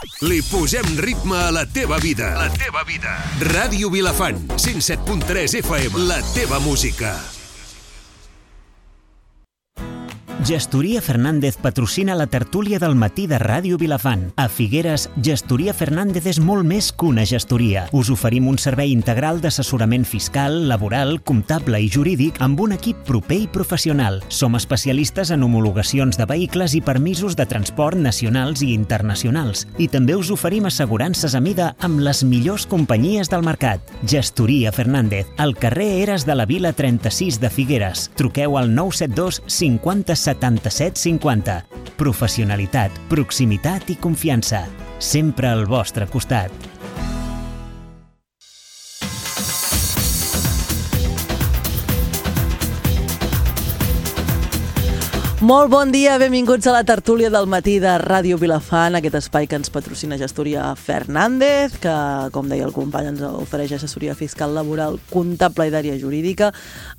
Li posem ritme a la teva vida. La teva vida. Ràdio Vilafant, 107.3 FM. La teva música. Gestoria Fernández patrocina la tertúlia del matí de Ràdio Vilafant. A Figueres, Gestoria Fernández és molt més que una gestoria. Us oferim un servei integral d'assessorament fiscal, laboral, comptable i jurídic amb un equip proper i professional. Som especialistes en homologacions de vehicles i permisos de transport nacionals i internacionals. I també us oferim assegurances a mida amb les millors companyies del mercat. Gestoria Fernández, al carrer Eres de la Vila 36 de Figueres. Truqueu al 972 50 77 50. Professionalitat, proximitat i confiança. Sempre al vostre costat. Molt bon dia, benvinguts a la tertúlia del matí de Ràdio Vilafant, aquest espai que ens patrocina Gestoria Fernández, que, com deia el company, ens ofereix assessoria fiscal, laboral, comptable i d'àrea jurídica.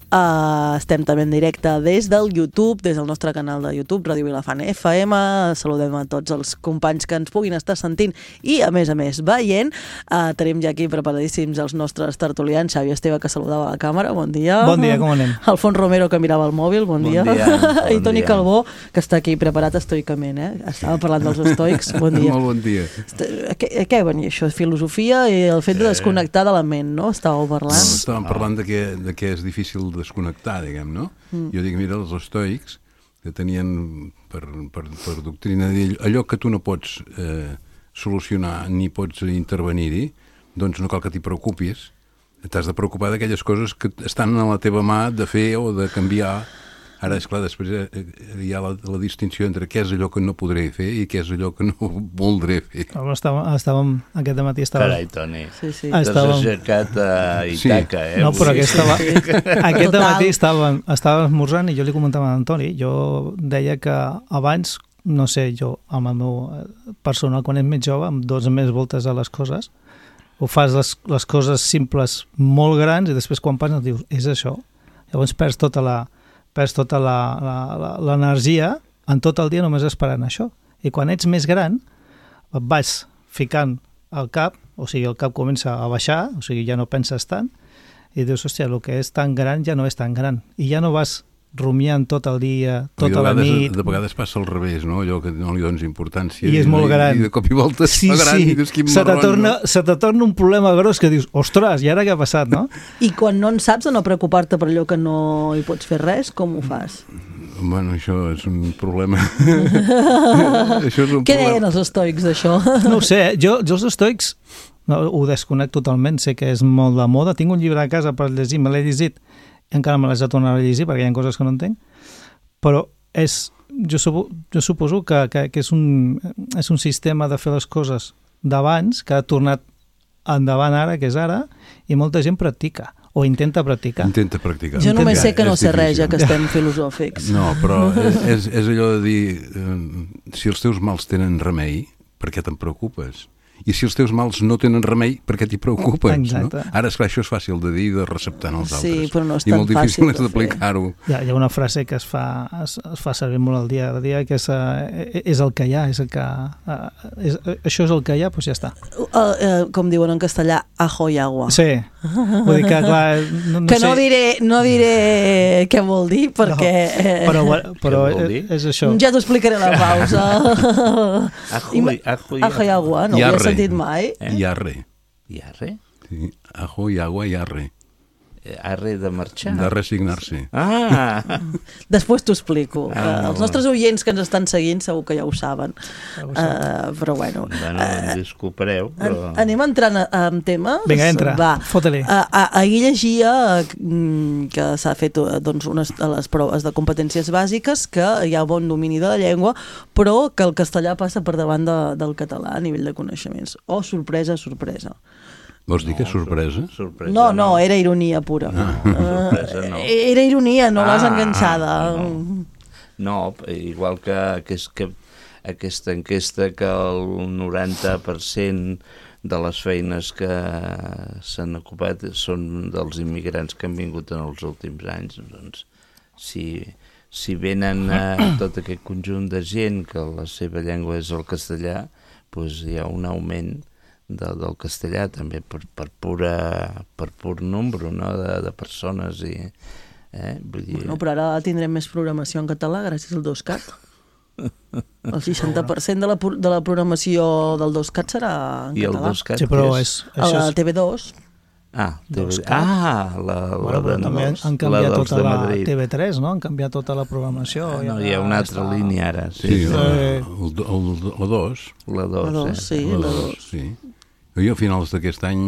Estem també en directe des del YouTube, des del nostre canal de YouTube, Ràdio Vilafant FM. Saludem a tots els companys que ens puguin estar sentint i, a més, veient. Tenim ja aquí preparadíssims els nostres tertulians. Xavi Esteve, que saludava a la càmera, bon dia. Bon dia, com anem? Alfons Romero, que mirava el mòbil, bon dia. I Toni Calbó, que està aquí preparat estoicament, Estava parlant dels estoics, bon dia. Molt bon dia. A què venia això? Filosofia i el fet de desconnectar de la ment, no? Estàveu parlant? No, estàvem parlant de que és difícil desconnectar, diguem, no? Jo dic, mira, els estoics, que tenien per doctrina allò que tu no pots solucionar ni pots intervenir-hi, doncs no cal que t'hi preocupis. T'has de preocupar d'aquelles coses que estan a la teva mà de fer o de canviar. Ara, esclar, després hi ha la distinció entre què és allò que no podré fer i què és allò que no voldré fer. Estàvem aquest matí... Carai, Toni, sí. t'has aixecat a Itaca, No, però aquest matí estàvem esmorzant i jo li comentava a Antoni, jo deia que abans, no sé, jo amb el meu personal, quan ets més jove, em dones més voltes a les coses, ho fas les coses simples molt grans i després quan passes dius, és això. Llavors perds tota l'energia en tot el dia només esperant això. I quan ets més gran, et vas ficant al cap, o sigui, el cap comença a baixar, o sigui, ja no penses tant, i dius, hòstia, el que és tan gran ja no és tan gran. I ja no vas rumiant tot el dia, tota la nit. De vegades passa al revés, no? Allò que no li dones importància. I és molt gran. I de cop i volta es fa gran i dius, quin marron, no? Se te torna un problema gros que dius, ostres, i ara què ha passat, no? I quan no en saps de no preocupar-te per allò que no hi pots fer res, com ho fas? Bueno, això és un problema. Què deien els estoics d'això? No ho sé, jo els estoics ho desconnecto totalment, sé que és molt de moda, tinc un llibre a casa per llegir, me l'he llegit, encara me l'haig de tornar a llegir perquè hi ha coses que no entenc, però jo suposo que és un sistema de fer les coses d'abans que ha tornat endavant ara, que és ara, i molta gent practica o intenta practicar. Jo només sé que no sé res, ja que estem filosòfics. No, però és allò de dir, si els teus mals tenen remei, per què te'n preocupes? I si els teus mals no tenen remei, per què t'hi preocupes? Exacte. No? Ara, esclar, això és fàcil de dir i de receptar en els altres. Sí, però no és i tan molt difícil fàcil és d'aplicar-ho. Hi ha una frase que es fa servir molt al dia a dia, que és el que hi ha, això és el que hi ha, doncs ja està. Com diuen en castellà, ajo y agua. Sí, vull dir que, clar... No diré què vol dir, perquè... Però és això. Ja t'ho explicaré a la pausa. Ajo y agua, no ho havia sentit mai. Iarre. Iarre? Sí, ajo i agua i arre. Arre de marxar? De resignar-se. Després t'ho explico. Els nostres oients que ens estan seguint segur que ja ho saben. Però bueno. Disculpareu. Anem entrant en temes. Vinga, entra. Fota-li. Ahir llegia que s'ha fet unes de les proves de competències bàsiques, que hi ha bon domini de la llengua, però que el castellà passa per davant del català a nivell de coneixements. Oh, sorpresa, sorpresa. Vols dir que és sorpresa? No, era ironia pura. Sorpresa no. Era ironia, no l'has enganxada. No, igual que aquesta enquesta, que el 90% de les feines que s'han ocupat són dels immigrants que han vingut en els últims anys. Doncs, si venen tot aquest conjunt de gent que la seva llengua és el castellà, doncs hi ha un augment del castellà també per pur nombre, no? de persones i... Vull dir... Bueno, però ara tindrem més programació en català gràcies al 2CAT. El 60% de la programació del 2CAT serà en I català. el 2CAT Sí, però A la TV2. Però també han canviat tota la TV3, no? Han canviat tota la programació. No, hi ha una altra línia ara. Sí, la 2. La 2, sí, la 2. Sí. Jo a finals d'aquest any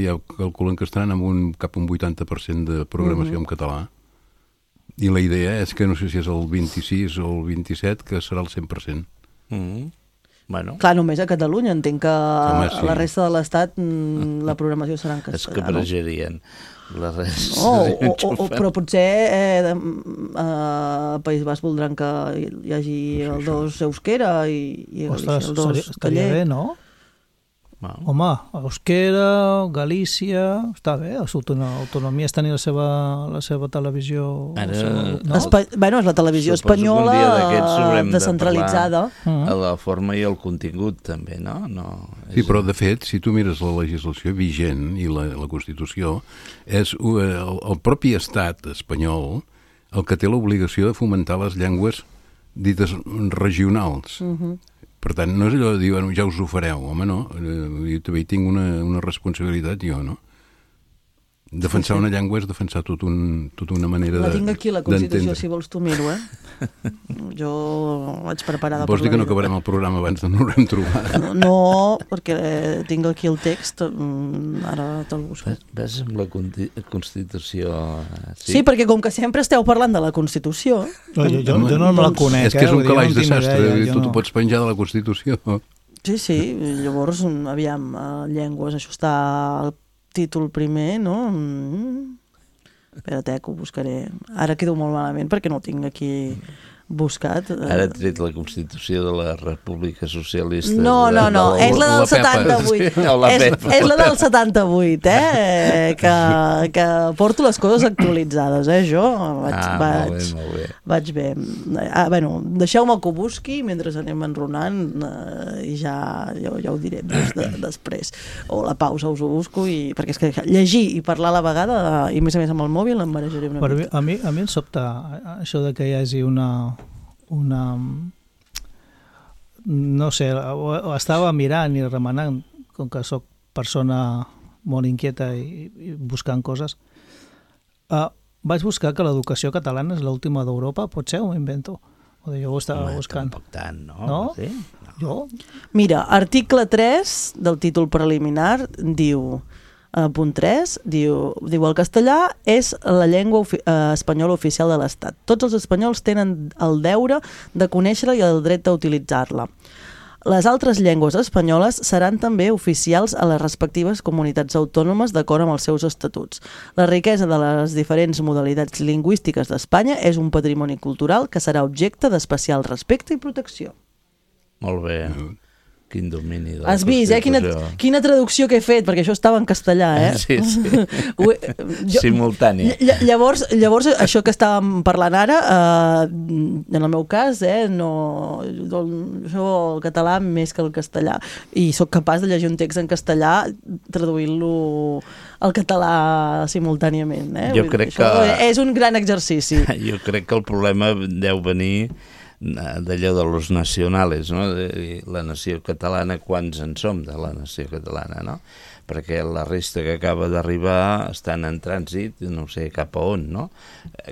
ja calculen que estaran amb cap a un 80% de programació en català. I la idea és que no sé si és el 26 o el 27, que serà el 100%. Bueno. Clar, només a Catalunya. Entenc que a la resta de l'Estat la programació serà en castellà. És que pregerien. La resta però potser a País Basc voldran que hi hagi el 2 euskera i el 2 estaria bé, no? Home, euskera, Galícia... Està bé, l'autonomia és tenir la seva televisió... Bueno, és la televisió espanyola descentralitzada. La forma i el contingut també, no? Sí, però de fet, si tu mires la legislació vigent i la Constitució, és el propi estat espanyol el que té l'obligació de fomentar les llengües dites regionals. Per tant, no és allò de dir, bueno, ja us ho fareu. Home, no, jo també hi tinc una responsabilitat, jo, no? Defensar una llengua és defensar tota una manera La tinc aquí, la Constitució, si vols tu miro, Jo vaig preparada per la vida. Vols dir que no acabarem el programa abans de no l'haurem trobat? No, perquè tinc aquí el text, ara te'l busco. Ves amb la Constitució... Sí, perquè com que sempre esteu parlant de la Constitució... Jo no me la conec, És que és un calaix de sastre, tu t'ho pots penjar de la Constitució. Sí, llavors, aviam, llengües, això està... títol primer, no? Espera't, que ho buscaré. Ara quedo molt malament perquè no ho tinc aquí buscat. Ara he tret la Constitució de la República Socialista. No, és la del 78. És la del 78, que porto les coses actualitzades, jo vaig bé. Bueno, deixeu-me que ho busqui mentre anem enronant i ja ho diré després. O la pausa us ho busco, perquè és que llegir i parlar a la vegada, i més a més amb el mòbil, em marejaré una mica. A mi em sobta això de que hi hagi una no sé, estava mirant i remenant, com que sóc persona molt inquieta i buscant coses, vaig buscar que l'educació catalana és l'última d'Europa, potser ho invento, jo ho estava buscant. Tampoc tant, no? No? Sí? Jo? Mira, article 3 del títol preliminar diu, punt 3, diu el castellà és la llengua espanyola oficial de l'Estat. Tots els espanyols tenen el deure de conèixer-la i el dret d'utilitzar-la. Les altres llengües espanyoles seran també oficials a les respectives comunitats autònomes d'acord amb els seus estatuts. La riquesa de les diferents modalitats lingüístiques d'Espanya és un patrimoni cultural que serà objecte d'especial respecte i protecció. Molt bé. Quin domini de la Has vist, quina traducció que he fet, perquè això estava en castellà, Sí. Simultània. Llavors, això que estàvem parlant ara, en el meu cas, no, jo el català més que el castellà, i sóc capaç de llegir un text en castellà traduint-lo al català simultàniament. Jo crec que... És un gran exercici. Jo crec que el problema deu venir d'allò de los nacionales, no? La nació catalana, quants en som de la nació catalana, no? Perquè la resta que acaba d'arribar estan en trànsit, no sé cap a on, no?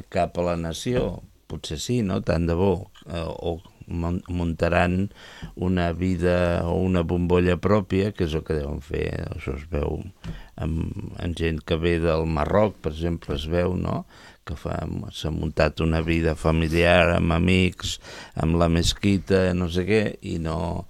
Cap a la nació, potser sí, no? Tant de bo, o muntaran una vida o una bombolla pròpia, que és el que deuen fer, això es veu en gent que ve del Marroc, per exemple, es veu, no?, que s'ha muntat una vida familiar amb amics, amb la mesquita, no sé què, i no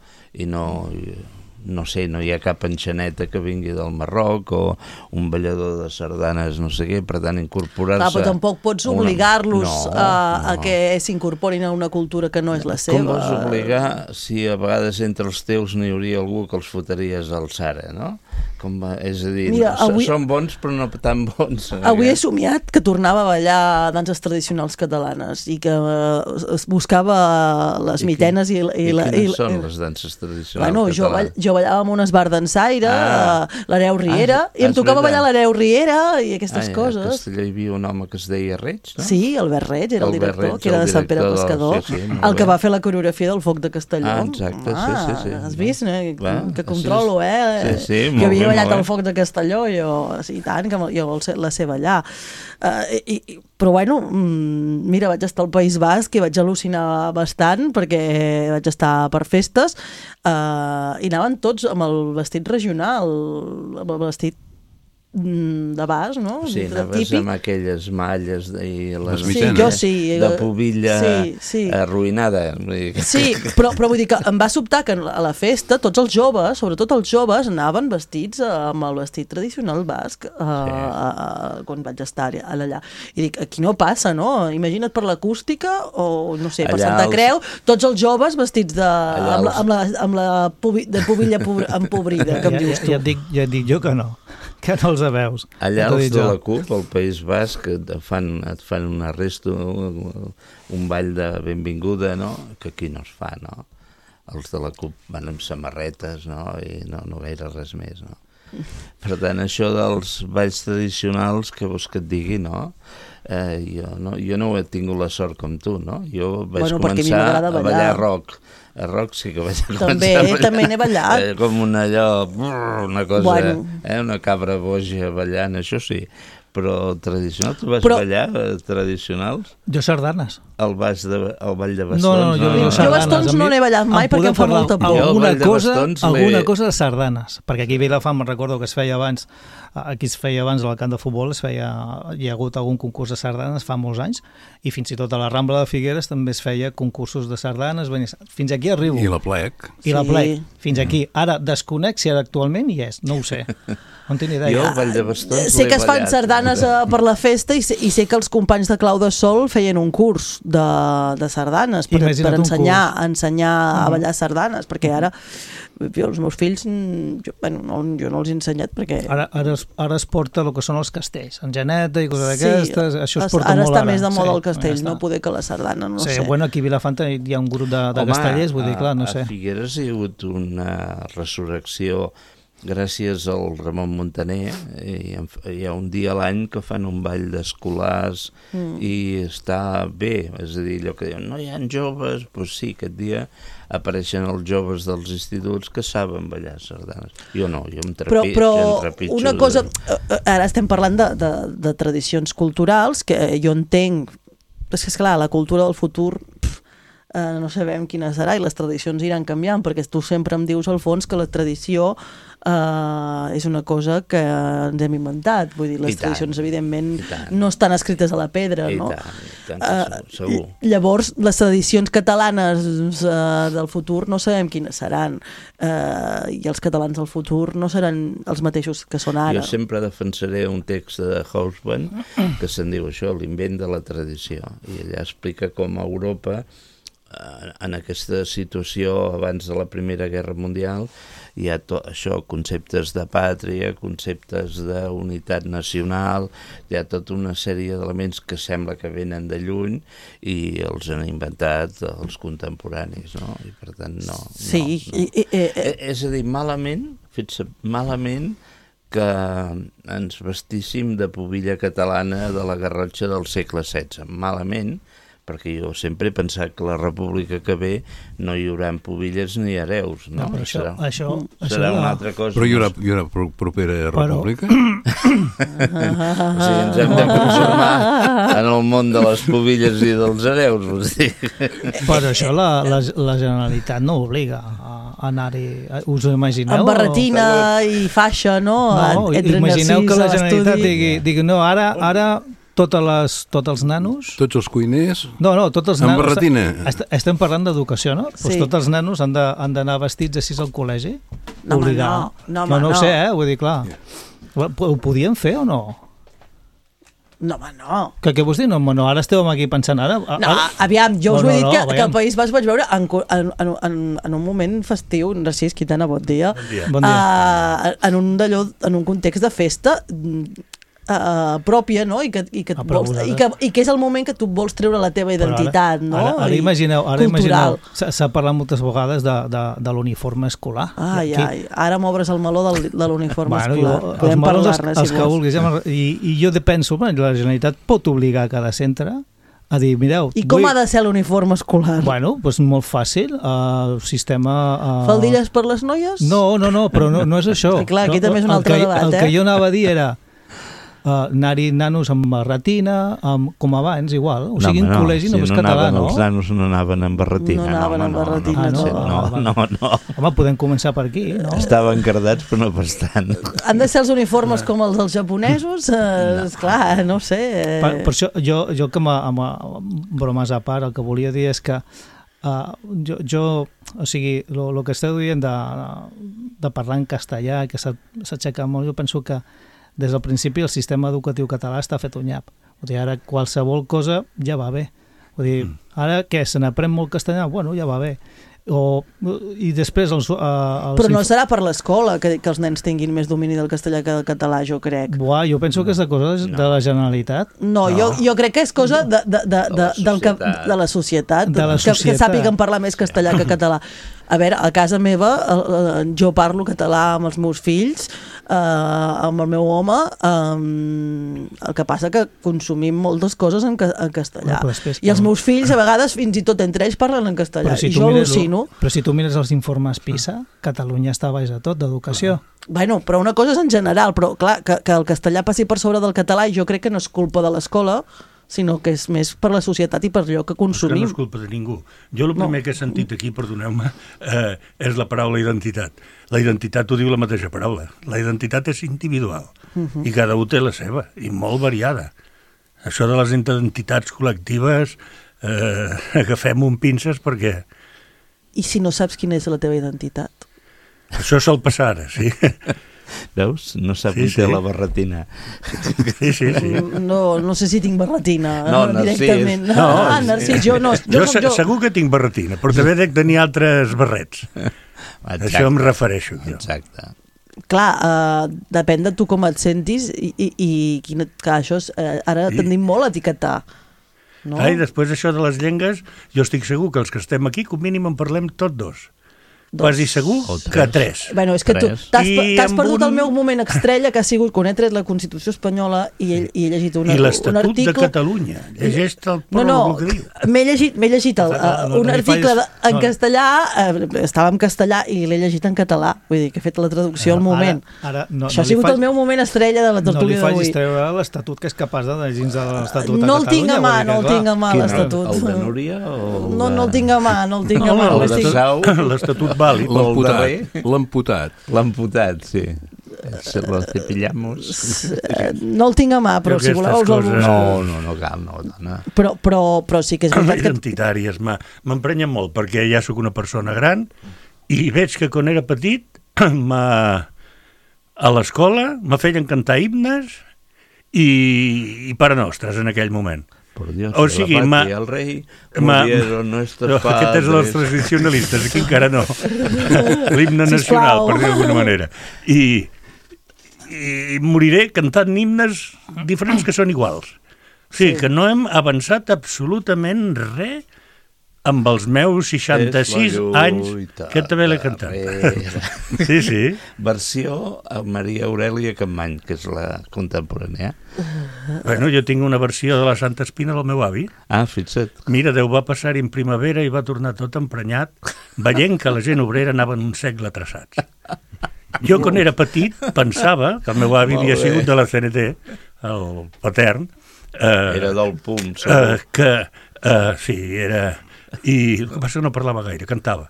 sé, no hi ha cap enxaneta que vingui del Marroc o un ballador de sardanes, no sé què, per tant incorporar-se... Clar, però tampoc pots obligar-los a que s'incorporin a una cultura que no és la seva. Com vols obligar si a vegades entre els teus n'hi hauria algú que els fotries al Sara, no? És a dir, Mira, són bons però no tan bons. Avui he somiat que tornava a ballar danses tradicionals catalanes i que es buscava les mitenes i quines són les danses tradicionals catalanes? Jo ballava amb un esbar dansaire, l'Hereu Riera, i em tocava ballar l'Hereu Riera i aquestes coses. A Castelló hi havia un home que es deia Reig, no? Sí, Albert Reig era el director, que era de Sant Pere Pescador, el que va fer la coreografia del Foc de Castelló. Exacte, sí. Has vist, que controlo, Sí, que havia ballat el Foc de Castelló, i tant, que jo la sé ballar. Però bueno, mira, vaig estar al País Basc i vaig al·lucinar bastant perquè vaig estar per festes i anaven tots amb el vestit regional, amb el vestit de bas, no? Sí, anaves amb aquelles malles i les mitenes de pubilla arruïnada. Sí, però vull dir que em va sobtar que a la festa tots els joves, sobretot els joves, anaven vestits amb el vestit tradicional basc quan vaig estar allà. I dic, aquí no passa, no? Imagina't per l'acústica o, no sé, per Santa Creu, tots els joves vestits amb la pubilla empobrida, que em dius tu. Ja et dic jo que no els veus. Allà els de la CUP, al País Basc, et fan un arresto, un ball de benvinguda, no? Que aquí no es fa, no? Els de la CUP van amb samarretes, no? I no gaire res més, no? Per tant, això dels balls tradicionals, que vols que et digui, no? Jo no he tingut la sort com tu, no? Jo vaig començar a ballar rock. A rock sí que vaig començar també n'he ballat. Com una cosa, una cabra boja ballant, això sí. Però tradicional, tu vas ballar tradicionals? Jo sardanes. El ball de bastons? No, jo bastons no n'he ballat mai perquè em fa molta por. Alguna cosa de sardanes, perquè aquí a Vilafant me'n recordo que es feia abans, aquí es feia abans al camp de futbol, hi ha hagut algun concurs de sardanes fa molts anys, i fins i tot a la Rambla de Figueres també es feia concursos de sardanes, fins aquí arribo. I la plec. Fins aquí. Ara desconec si ara actualment hi és, no ho sé. No en tinc idea. Jo el ball de bastons sé que es fan sardanes per la festa i sé que els companys de Clau de Sol feien un curs de sardanes per ensenyar a ballar sardanes, perquè ara jo, els meus fills jo no els he ensenyat perquè... Ara es porta el que són els castells, en Geneta i coses d'aquestes, això es porta molt ara. Ara està més de moda el castell, no poder que la sardana, no sé. Bueno, aquí a Vilafant hi ha un grup de castellers, vull dir, clar, no sé. A Figueres hi ha hagut una resurrecció gràcies al Ramon Montaner, hi ha un dia a l'any que fan un ball d'escolars i està bé, és a dir, allò que diuen, no hi ha joves, doncs sí, aquest dia apareixen els joves dels instituts que saben ballar sardanes. Jo no, jo em trepitjo. Però una cosa, ara estem parlant de tradicions culturals, que jo entenc, és que esclar, la cultura del futur no sabem quina serà i les tradicions iran canviant, perquè tu sempre em dius al fons que la tradició és una cosa que ens hem inventat, vull dir, les tradicions evidentment no estan escrites a la pedra, no? I tant, segur. Llavors, les tradicions catalanes del futur no sabem quines seran, i els catalans del futur no seran els mateixos que són ara. Jo sempre defensaré un text de Hobsbawm que se'n diu això, l'invent de la tradició, i allà explica com a Europa, en aquesta situació abans de la Primera Guerra Mundial, hi ha això, conceptes de pàtria, conceptes d'unitat nacional, hi ha tota una sèrie d'elements que sembla que venen de lluny i els han inventat els contemporanis, no? I per tant, no. Sí. És a dir, malament que ens vestíssim de pubilla catalana de la Garrotxa del segle XVI. Malament, perquè jo sempre he pensat que la república que ve no hi haurà pubilles ni hereus, no? Serà una altra cosa. Però hi haurà propera república? O sigui, ens hem de conformar en el món de les pubilles i dels hereus, vols dir? Però això la Generalitat no obliga a anar-hi, us ho imagineu? Amb barretina i faixa, no? Imagineu que la Generalitat digui no, ara tots els nanos... Tots els cuiners... No, tots els nanos... Amb barretina. Estem parlant d'educació, no? Sí. Pues tots els nanos han d'anar vestits així al col·legi? No, no ho sé, vull dir, clar. Ho podien fer o no? No, home, no. Què vols dir? No, ara esteu aquí pensant ara. No, aviam, jo us ho he dit que aviam. el País Basc vaig veure en un moment festiu, Narcís Quintana, bon dia. Bon dia. En un context de festa pròpia, no? I que és el moment que tu vols treure la teva identitat, no? Ara imagineu, s'ha parlat moltes vegades de l'uniforme escolar. Ara m'obres el meló de l'uniforme escolar. Els melons els que vulguis. I jo penso, la Generalitat pot obligar cada centre a dir, mireu... I com ha de ser l'uniforme escolar? Bueno, doncs molt fàcil, sistema... Faldilles per les noies? No, però no és això. Clar, aquí també és un altre debat, El que jo anava a dir era anar-hi nanos amb barretina, com abans, igual. O sigui, en col·legi només català, no? Els nanos no anaven amb barretina. No anaven amb barretina, no. Home, podem començar per aquí, no? Estaven cardats, però no pas tant. Han de ser els uniformes com els dels japonesos? Esclar, no sé. Per això, jo que amb bromes a part, el que volia dir és que o sigui, el que esteu dient de parlar en castellà, que s'aixeca molt, jo penso que des del principi el sistema educatiu català està fet un nyap. Vull dir, ara qualsevol cosa ja va bé. Vull dir, ara què, se n'aprèn molt castellà? Bueno, ja va bé. I després però no serà per l'escola que els nens tinguin més domini del castellà que del català, jo crec. Jo penso que és de cosa de la Generalitat. No, jo crec que és cosa de la societat, que sàpiguen parlar més castellà que català. A veure, a casa meva jo parlo català amb els meus fills, amb el meu home, el que passa que consumim moltes coses en castellà. I els meus fills a vegades fins i tot entre ells parlen en castellà, i jo al·lucino. Però si tu mires els informes PISA, Catalunya està baix de tot, d'educació. Bueno, però una cosa és en general, però clar, que el castellà passi per sobre del català, i jo crec que no és culpa de l'escola, sinó que és més per la societat i per allò que consumim. No és culpa de ningú. Jo el primer que he sentit aquí, perdoneu-me, és la paraula identitat. La identitat ho diu la mateixa paraula. La identitat és individual i cada un té la seva, i molt variada. Això de les identitats col·lectives, agafem un pinces perquè... I si no saps quina és la teva identitat? Això sol passar ara, sí. Veus? No sap qui té la barretina. Sí. No sé si tinc barretina directament. Narcís, jo no. Jo segur que tinc barretina, però també dec tenir altres barrets. Això em refereixo. Exacte. Clar, depèn de tu com et sentis i això ara tendim molt a etiquetar. I després això de les llengües, jo estic segur que els que estem aquí, com mínim en parlem tots dos. Quasi segur que 3. Bueno, és que tu t'has perdut el meu moment estrella, que ha sigut quan he tret la Constitució espanyola i he llegit un article... I l'Estatut de Catalunya. Llegeix-te el pròleg que diu. M'he llegit un article en castellà, estava en castellà i l'he llegit en català. Vull dir, que he fet la traducció al moment. Això ha sigut el meu moment estrella de la tertúlia d'avui. No li facis treure l'Estatut, que és capaç de llegir de l'Estatut a Catalunya. No el tinc a mà, l'Estatut. El de Núria? No el tinc a mà, l'Estatut vàlid. L'amputat, sí. Se lo cepillamos. No el tinc a mà, però si voleu... No cal, no. Però sí que és veritat que... Identitàries m'emprenyen molt, perquè ja sóc una persona gran i veig que quan era petit a l'escola me feien cantar himnes i Pare Nostres en aquell moment. Por Dios, o sigui, el rei murieron nuestros padres. Aquest és dels tradicionalistes, aquí encara no. L'himne nacional, per dir d'alguna manera. I moriré cantant himnes diferents que són iguals. O sigui, que no hem avançat absolutament res amb els meus 66 anys que també l'he cantat. Sí. Versió a Maria Aurèlia Capmany, que és la contemporània. Bueno, jo tinc una versió de la Santa Espina del meu avi. Fixa't. Mira, Déu va passar-hi en primavera i va tornar tot emprenyat, veient que la gent obrera anava en un segle traçats. Jo, quan era petit, pensava que el meu avi havia sigut de la CNT, el patern. Era del PUM, segur. Sí, era... I el que passa que no parlava gaire, cantava.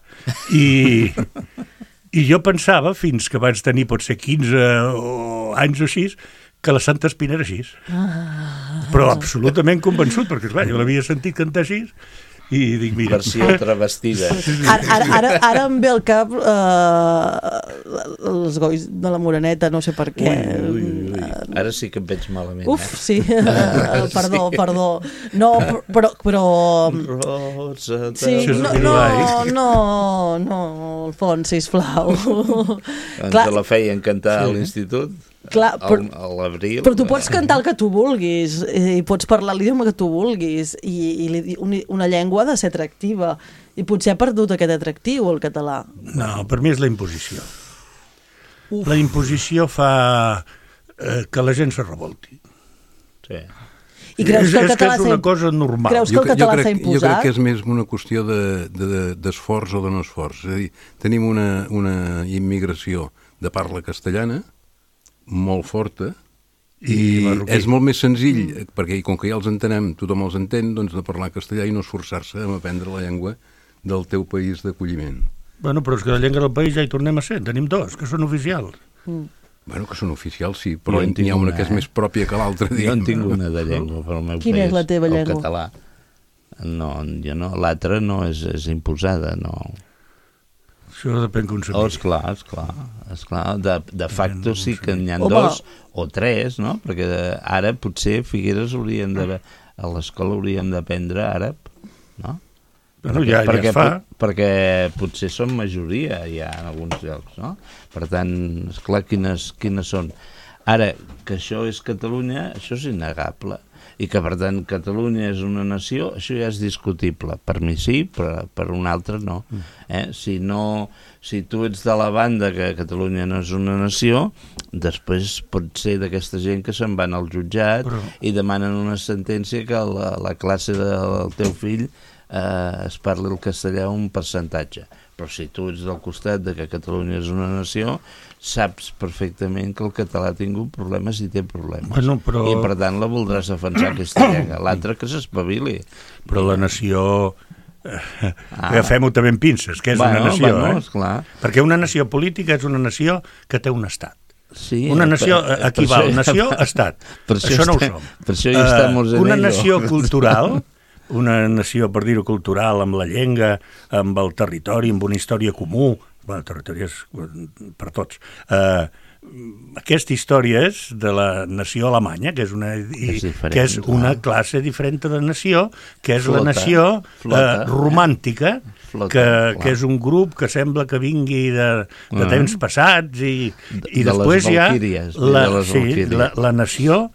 I jo pensava, fins que vaig tenir potser 15 anys o així, que la Santa Espina era així. Però absolutament convençut, perquè esclar, jo l'havia sentit cantar així i dic, mira... Versió travestida. Ara em ve al cap els gois de la Moreneta, no sé per què. Ara sí que em veig malament. Uf, sí, perdó. No, però... Rosa, Sí, no, Alfons, sisplau. Ens la feien cantar a l'institut, Clar, a l'abril. però tu pots cantar el que tu vulguis i pots parlar l'idioma que tu vulguis i una llengua ha de ser atractiva i potser ha perdut aquest atractiu el català. No, per mi és la imposició. La imposició fa que la gent se revolti. Sí. I creus que el català és una cosa normal. Creus que el català s'ha imposat? Jo crec que és més una qüestió d'esforç o de no esforç. És a dir, tenim una immigració de parla castellana molt forta i és molt més senzill, perquè com que ja els entenem, tothom els entén, doncs de parlar castellà i no esforçar-se a aprendre la llengua del teu país d'acolliment. Bueno, però és que la llengua del país ja hi tornem a ser, tenim dos, que són oficials. Bueno, que són oficials, sí, però n'hi ha una que és més pròpia que l'altra. Jo en tinc una de llengua pel meu país. Quina és la teva llengua? El català. No, jo no, l'altra no és imposada, no. Això depèn com s'ha Oh, esclar. De facto sí que n'hi ha dos o tres, no? Perquè ara potser Figueres hauríem de... A l'escola hauríem d'aprendre àrab, no? Bueno, ja es fa. Perquè potser són majoria ja en alguns llocs, no? Per tant, esclar, quines són. Ara, que això és Catalunya, això és innegable. I que, per tant, Catalunya és una nació, això ja és discutible. Per mi sí, però per un altre no. Si tu ets de la banda que Catalunya no és una nació, després pot ser d'aquesta gent que se'n van al jutjat i demanen una sentència que la classe del teu fill es parli el castellà un percentatge. Però si tu ets del costat de que Catalunya és una nació, saps perfectament que el català ha tingut problemes i té problemes. Bueno, però... I per tant la voldràs defensar aquesta llengua. L'altre que s'espavili. Però la nació... Agafem-ho també amb pinces, que és una nació, esclar. Perquè una nació política és una nació que té un estat. Sí, una nació equival, nació-estat. Això no ho som. Per això hi estem en una nació cultural... Una nació, per dir-ho, cultural, amb la llengua, amb el territori, amb una història comú. Bueno, el territori és per tots. Aquesta història és de la nació alemanya, que és una classe diferent de nació, que és la nació romàntica, que és un grup que sembla que vingui de temps passats, i després hi ha la nació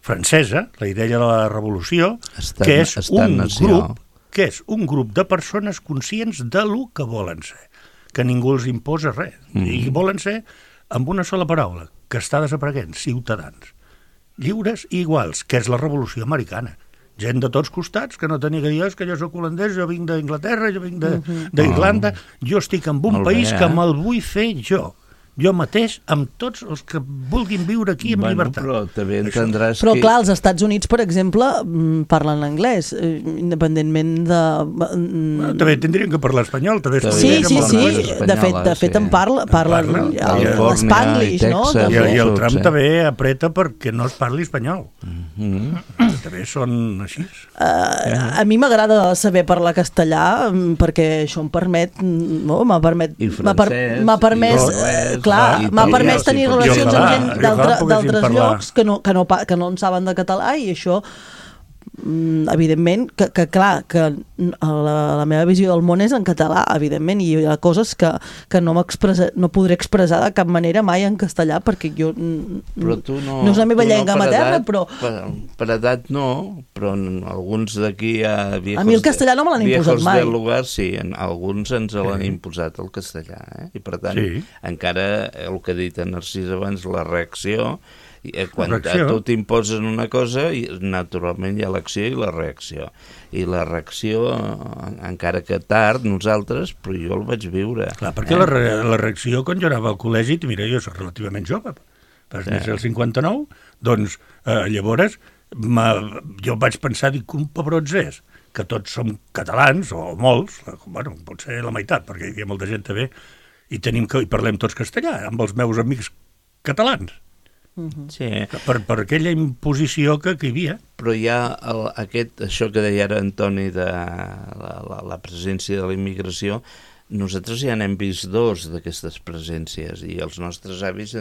francesa, la idea de la revolució, que és un grup de persones conscients de lo que volen ser, que ningú els imposa res, i volen ser, amb una sola paraula, que està desapareguent, ciutadans, lliures i iguals, que és la revolució americana. Gent de tots costats, que no tenia que dir, que jo soc holandès, jo vinc d'Inglaterra, jo vinc d'Irlanda, jo estic en un país que me'l vull fer jo mateix, amb tots els que vulguin viure aquí amb llibertat. Però també entendràs Però clar, els Estats Units, per exemple, parlen anglès, independentment de... També tindrien que parlar espanyol. Sí. De fet en parlen l'Spanglish, no? I el Trump també apreta perquè no es parli espanyol. També són així. A mi m'agrada saber parlar castellà perquè això em permet... M'ha permès tenir relacions amb gent d'altres llocs que no en saben de català, i això evidentment que clar, que la meva visió del món és en català, evidentment, i hi ha coses que no podré expressar de cap manera mai en castellà, perquè jo no és la meva llengua materna, però... Per edat no, però alguns d'aquí a mi el castellà no me l'han imposat mai. Del lugar, sí, alguns ens l'han imposat el castellà, i per tant encara el que ha dit en Narcís abans, la reacció, quan a tu t'imposes una cosa, naturalment hi ha l'acció i la reacció. I la reacció, encara que tard, nosaltres, però jo el vaig viure. Clar, perquè la reacció, quan jo anava al col·legi, mira, jo soc relativament jove, vas néixer el 59, doncs llavors jo vaig pensar, dic, un pebrots és, que tots som catalans, o molts, bueno, potser la meitat, perquè hi havia molta gent també, i parlem tots castellà, amb els meus amics catalans. Sí. Per aquella imposició que hi havia. Però hi ha això que deia ara Antoni de la presència de la immigració, nosaltres ja n'hem vist 2 d'aquestes presències i els nostres avis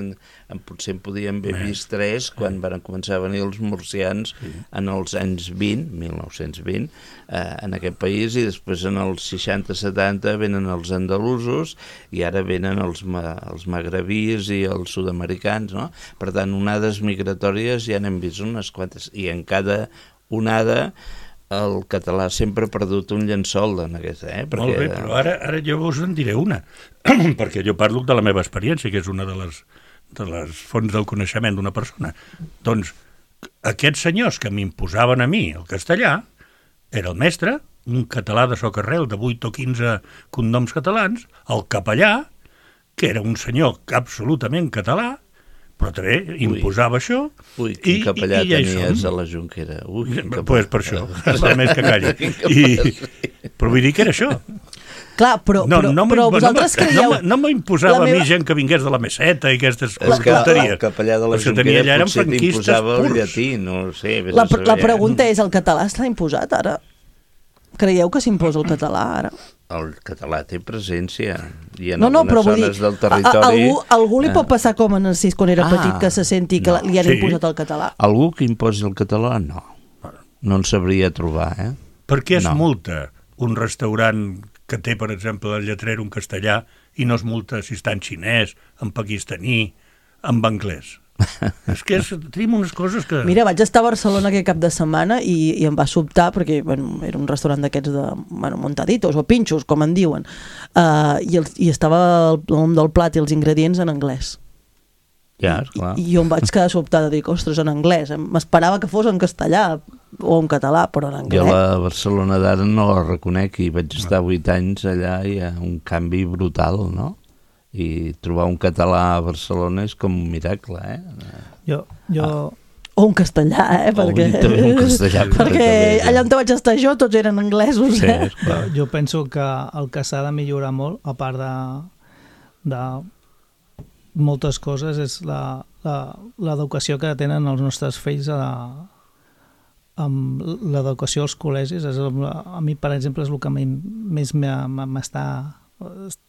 potser en podien haver vist 3 quan van començar a venir els murcians en els anys 1920, en aquest país, i després en els 60-70 venen els andalusos i ara venen els magrebís i els sud-americans, no? Per tant, onades migratòries ja n'hem vist unes quantes, i en cada onada el català sempre ha perdut un llençol en aquesta, perquè... Molt bé, però ara jo us en diré una, perquè jo parlo de la meva experiència, que és una de les fonts del coneixement d'una persona. Doncs aquests senyors que m'imposaven a mi el castellà era el mestre, un català de socarrel de 8 o 15 cognoms catalans, el capellà, que era un senyor absolutament català, però també imposava això. Ui, quin capellà tenies a la Junquera. Doncs per això, per més que calli. Però vull dir que era això. Clar, però vosaltres creieu... No m'imposava a mi gent que vingués de la Meseta i aquestes tonteries. El capellà de la Junquera potser t'imposava el llatí, no sé. La pregunta és, el català està imposat ara? Creieu que s'imposa el català ara? El català té presència i en algunes zones del territori... Algú li pot passar com en Narcís quan era petit, que se senti que li han imposat el català? Algú que imposi el català, no. No en sabria trobar, Per què es multa un restaurant que té, per exemple, el lletrer en castellà i no es multa si està en xinès, en pakistaní, en anglès? És que tenim unes coses que... Mira, vaig estar a Barcelona aquest cap de setmana i em va sobtar, perquè era un restaurant d'aquests de montaditos o pinxos, com en diuen, i estava el nom del plat i els ingredients en anglès. Ja, clar. I jo em vaig quedar sobtada, dic, ostres, en anglès. M'esperava que fos en castellà o en català, però en anglès. Jo la Barcelona d'ara no la reconec i vaig estar 8 anys allà i hi ha un canvi brutal, no? I trobar un català a Barcelona és com un miracle, O un castellà, perquè... Un castellà, perquè allà on vaig estar jo tots eren anglesos, Jo penso que el que s'ha de millorar molt, a part de moltes coses, és l'educació que tenen els nostres fills amb l'educació als col·legis. A mi, per exemple, és el que més m'està...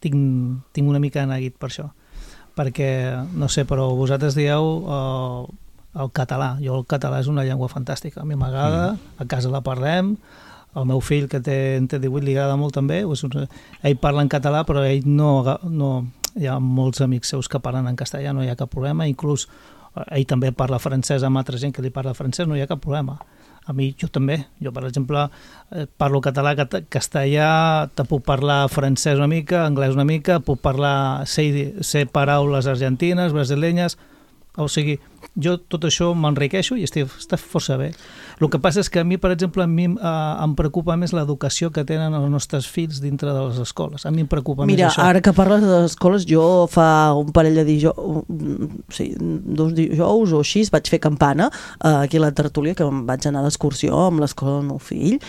Tinc una mica de neguit per això, perquè, no sé, però vosaltres dieu el català. Jo el català és una llengua fantàstica, a mi m'agrada, a casa la parlem, el meu fill, que té 18, li agrada molt també, ell parla en català, però ell no hi ha molts amics seus que parlen en castellà, no hi ha cap problema, inclús ell també parla francès amb altra gent que li parla francès, no hi ha cap problema. A mi, jo també. Jo, per exemple, parlo català, castellà, te puc parlar francès una mica, anglès una mica, puc parlar, sé paraules argentines, brasilenyes, o sigui, jo tot això m'enriqueixo i està força bé. El que passa és que a mi, per exemple, em preocupa més l'educació que tenen els nostres fills dintre de les escoles. A mi em preocupa més això. Mira, ara que parles de les escoles, jo fa un parell de dos dijous o així vaig fer campana aquí a la tertúlia, que em vaig anar d'excursió amb l'escola del meu fill,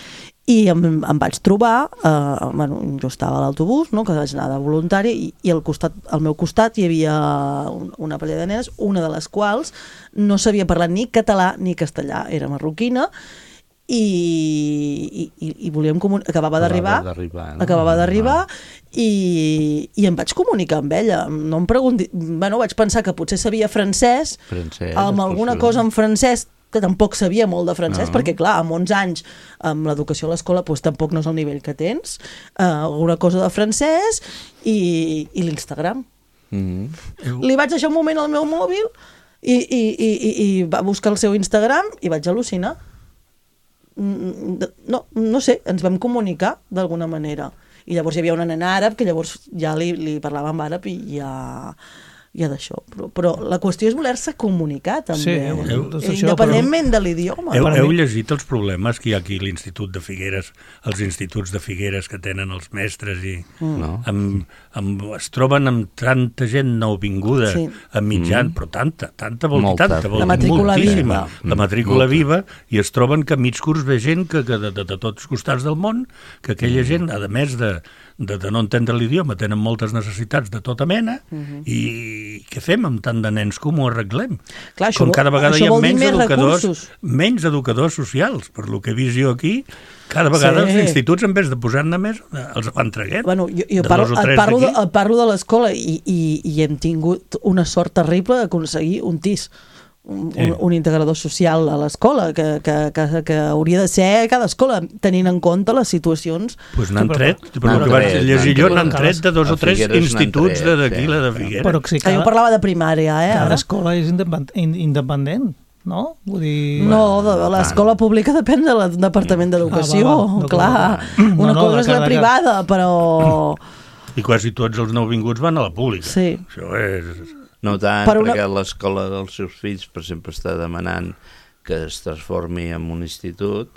i em vaig trobar, jo estava a l'autobús, no, que vaig anar de voluntari, i al meu costat hi havia una parella de nenes, una de les quals no sabia parlar ni català ni castellà, era marroquina, i volíem acabava d'arribar i em vaig comunicar amb ella. No em pregunti, vaig pensar que potser sabia francès amb alguna cosa en francès, que tampoc sabia molt de francès, perquè clar, amb 11 anys amb l'educació a l'escola tampoc no és el nivell que tens, alguna cosa de francès i l'Instagram. Li vaig deixar un moment al meu mòbil i va buscar el seu Instagram i vaig al·lucinar. No sé, ens vam comunicar d'alguna manera. I llavors hi havia una nena àrab que llavors ja li parlava en àrab i ja d'això, però la qüestió és voler-se comunicar també, independentment de l'idioma. Heu llegit els problemes que hi ha aquí a l'Institut de Figueres, els instituts de Figueres que tenen els mestres i es troben amb tanta gent nouvinguda a mitjan, però tanta vol dir tanta, la matrícula moltíssima, la matrícula viva, i es troben que a mig curs ve gent que de tots costats del món, que aquella gent, a més de de no entendre l'idioma, tenen moltes necessitats de tota mena, i què fem amb tant de nens? Com ho arreglem? Clar, Com cada vegada hi ha recursos. menys educadors socials, per lo que he vist jo aquí, cada vegada els instituts, en vez de posar-ne més, els van traguent. Bueno, jo parlo de l'escola i hem tingut una sort terrible d'aconseguir un TIS, un integrador social a l'escola, que hauria de ser a cada escola, tenint en compte les situacions. Doncs n'han tret, per el que vaig llegir jo, n'han tret de 2 o 3 instituts d'aquí, la de Figueres. Però sí, Jo parlava de primària, cada escola és independent, no? Vull dir... No, l'escola pública depèn del Departament d'Educació, clar. Una cosa és la privada, però... I quasi tots els nouvinguts van a la pública. Sí. Això és... No tant, perquè l'escola dels seus fills, per exemple, està demanant que es transformi en un institut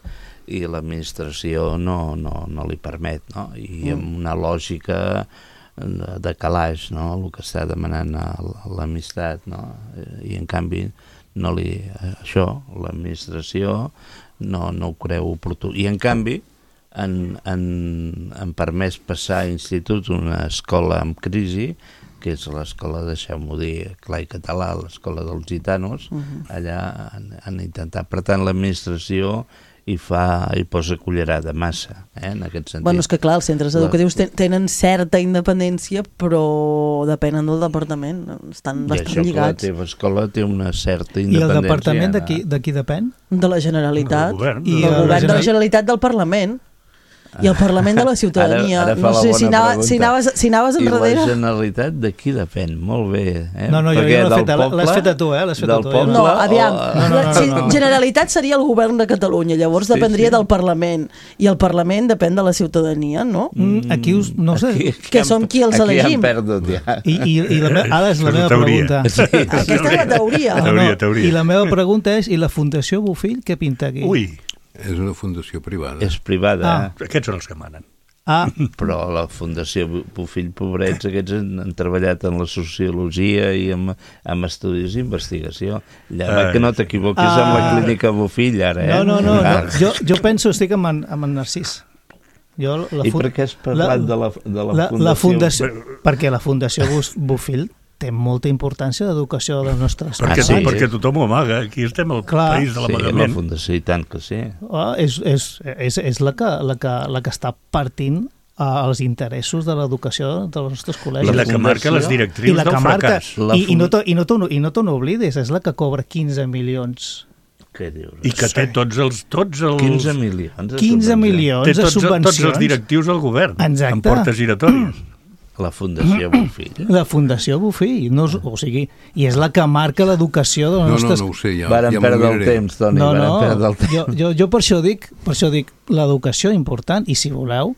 i l'administració no li permet, no? I amb una lògica de calaix, no? El que està demanant l'amistat, no? I en canvi l'administració no ho creu oportú. I en canvi han permès passar a institut una escola en crisi, que és l'escola, deixeu-m'ho dir, clar i català, l'escola dels gitanos. Allà han intentat. Per tant, l'administració hi posa cullerada massa, en aquest sentit. Bueno, és que clar, els centres educatius tenen certa independència, però depenen del departament, estan bastant lligats. I això que la teva escola té una certa independència. I el departament de qui depèn? De la Generalitat. Del govern de la Generalitat, del Parlament. I el Parlament de la Ciutadania. No sé si anaves enrere. I la Generalitat de qui depèn? Molt bé. No, jo l'has fet a tu, No, aviam. Generalitat seria el govern de Catalunya, llavors dependria del Parlament. I el Parlament depèn de la ciutadania, no? Aquí no sé. Que som qui els elegim. Aquí han perdut, ja. I ara és la meva pregunta. Aquesta és la teoria. I la meva pregunta és, i la Fundació Bofill què pinta aquí? Ui. És una fundació privada. És privada. Aquests són els que manen. Però la Fundació Bofill, pobrets, aquests han treballat en la sociologia i amb estudis d'investigació. Que no t'equivoquis amb la clínica Bofill, ara, No. Jo penso, estic amb en Narcís. I per què has parlat de la Fundació? Perquè la Fundació Bofill té molta importància d'educació de les nostres ciutats. Perquè tothom ho amaga. Aquí estem al país de l'amagament. Sí, la Fundació, i tant que sí. És la que està partint els interessos de l'educació dels nostres col·legis. I la que marca les directrius del fracàs. I no te n'oblides, és la que cobra 15 milions. Què dius? I que té tots els 15 milions. 15 milions de subvencions. Tots els directius del govern. Exacte. En portes giratòries. La Fundació Bofill. La Fundació Bofill. O sigui, i és la que marca l'educació de les nostres... No ho sé, ja varen perdre el temps, Toni, varen perdre el temps. Jo per això dic l'educació important, i si voleu,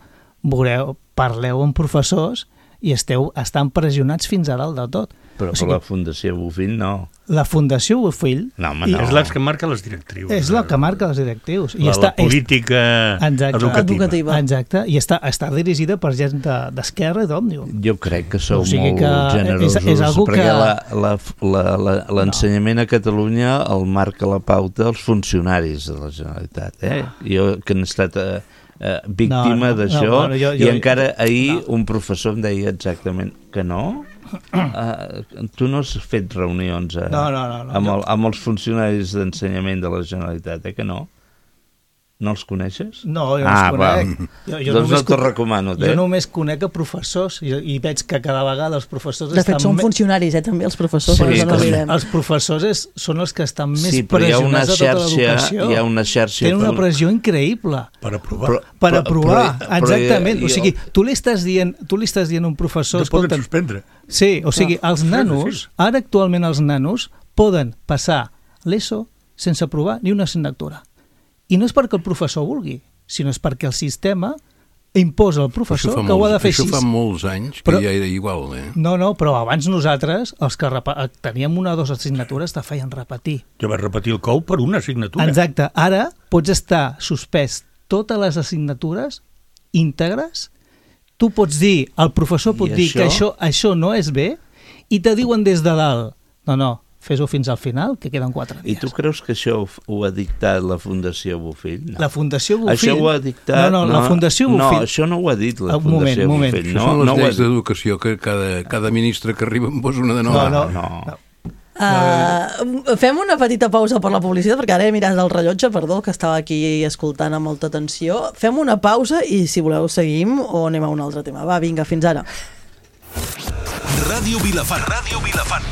parleu amb professors i estan pressionats fins a dalt de tot. Però la Fundació Bofill no. La Fundació Bofill... És la que marca les directrius. És la que marca les directrius. La política educativa. Exacte, i està dirigida per gent d'esquerra i d'òmnium. Jo crec que sou molt generosos, perquè l'ensenyament a Catalunya el marca la pauta els funcionaris de la Generalitat. Jo que he estat víctima d'això, i encara ahir un professor em deia exactament que no. Tu no has fet reunions amb els funcionaris d'ensenyament de la Generalitat, que no? No els coneixes? No, jo no els conec. Doncs no te'l recomano. Jo només conec a professors i veig que cada vegada els professors... De fet, són funcionaris, també, els professors. Els professors són els que estan més pressionats de tota l'educació. Hi ha una xarxa... Tenen una pressió increïble. Per aprovar. Per aprovar, exactament. O sigui, tu li estàs dient a un professor... Que poden suspendre. Sí, o sigui, els nanos, ara actualment els nanos poden passar l'ESO sense aprovar ni una assignatura. I no és perquè el professor vulgui, sinó és perquè el sistema imposa al professor que ho ha de fer així. Això fa molts anys que ja era igual, No, però abans nosaltres, els que teníem 1 o 2 assignatures, te feien repetir. Jo vaig repetir el COU per una assignatura. Exacte. Ara pots estar suspès totes les assignatures íntegres. Tu pots dir, el professor pot dir que això no és bé, i te diuen des de dalt, no, fes-ho fins al final, que queden 4 dies. I tu creus que això ho ha dictat la Fundació Bofill? No. La Fundació Bofill... Això ho ha dictat... No, la Fundació Bofill... No, això no ho ha dit la Fundació Bofill. Això són les lleis d'educació, que cada ministre que arriba en posa una de nova. No. Fem una petita pausa per la publicitat, perquè ara he mirat el rellotge, perdó, que estava aquí escoltant amb molta atenció. Fem una pausa i, si voleu, seguim o anem a un altre tema. Va, vinga, fins ara. Ràdio Vilafant. Ràdio Vilafant.